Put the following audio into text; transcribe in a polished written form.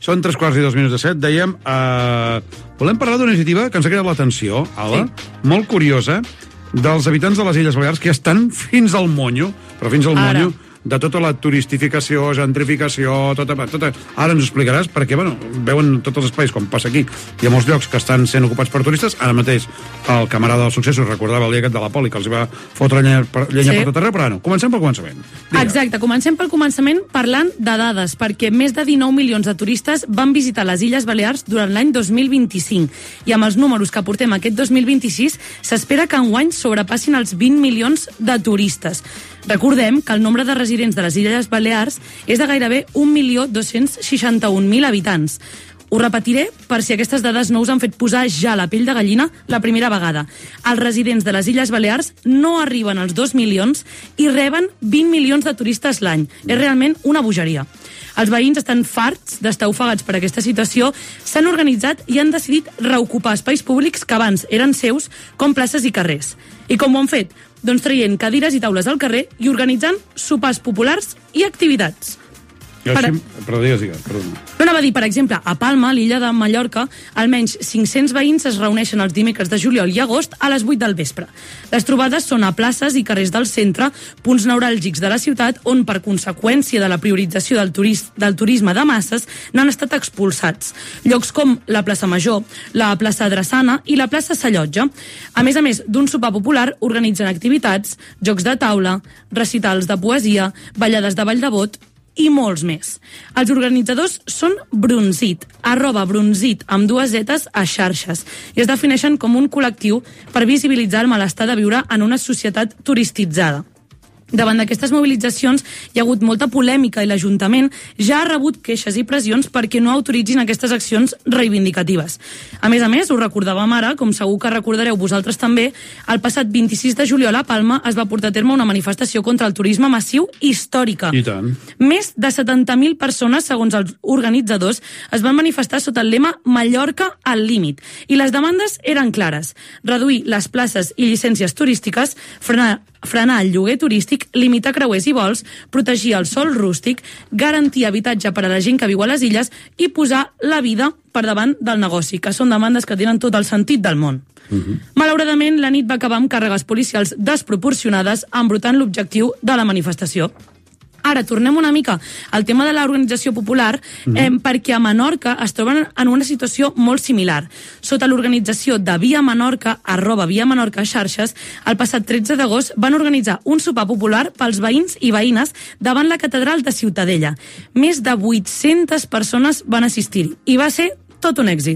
Són 3:02 dèiem... volem parlar d'una iniciativa que ens ha cridat l'atenció, Ala, molt curiosa, dels habitants de les Illes Balears que ja estan fins al monyo, però fins al monyo de tota la turistificació, gentrificació, tota... Ara ens ho explicaràs perquè, bueno, veuen tots els espais, com passa aquí. Hi ha molts llocs que estan sent ocupats per turistes. Ara mateix el camarada dels successos recordava el dia aquest de la poli, que els va fotre llenya per tot arreu, però no, comencem pel començament. Exacte, comencem pel començament parlant de dades, perquè més de 19 milions de turistes van visitar les Illes Balears durant l'any 2025. I amb els números que portem aquest 2026, s'espera que enguany sobrepassin els 20 milions de turistes. Recordem que el nombre de residents de les Illes Balears és de gairebé 1.261.000 habitants. Ho repetiré per si aquestes dades no us han fet posar ja la pell de gallina la primera vegada. Els residents de les Illes Balears no arriben als 2 milions i reben 20 milions de turistes l'any. És realment una bogeria. Els veïns estan farts d'estar ofegats per aquesta situació, s'han organitzat i han decidit reocupar espais públics que abans eren seus, com places i carrers. I com ho han fet? Doncs traient cadires i taules al carrer i organitzant sopars populars i activitats. Digues. No anava a dir, per exemple, a Palma, l'illa de Mallorca, almenys 500 veïns es reuneixen els dimecres de juliol i agost a les 8 del vespre. Les trobades són a places i carrers del centre, punts neuràlgics de la ciutat, on, per conseqüència de la priorització del turisme de masses, n'han estat expulsats. Llocs com la plaça Major, la plaça Drassana i la plaça Sallotja. A més d'un sopar popular, organitzen activitats, jocs de taula, recitals de poesia, ballades de ball de bot, i molts més. Els organitzadors són Brunzit, @Brunzit, amb 2 zetes a xarxes, i es defineixen com un col·lectiu per visibilitzar el malestar de viure en una societat turistitzada. Davant d'aquestes mobilitzacions hi ha hagut molta polèmica i l'Ajuntament ja ha rebut queixes i pressions perquè no autoritzin aquestes accions reivindicatives. A més, ho recordàvem ara, com segur que recordareu vosaltres també, el passat 26 de juliol a Palma es va portar a terme una manifestació contra el turisme massiu històrica. I tant. Més de 70.000 persones, segons els organitzadors, es van manifestar sota el lema Mallorca al límit. I les demandes eren clares: reduir les places i llicències turístiques, frenar el lloguer turístic, limitar creuers i vols, protegir el sòl rústic, garantir habitatge per a la gent que viu a les illes i posar la vida per davant del negoci, que són demandes que tenen tot el sentit del món. Malauradament, la nit va acabar amb càrregues policials desproporcionades, embrutant l'objectiu de la manifestació. Ara, tornem una mica al tema de l'organització popular, perquè a Menorca es troben en una situació molt similar. Sota l'organització de Via Menorca, @Via Menorca xarxes, el passat 13 d'agost van organitzar un sopar popular pels veïns i veïnes davant la catedral de Ciutadella. Més de 800 persones van assistir-hi i va ser tot un èxit.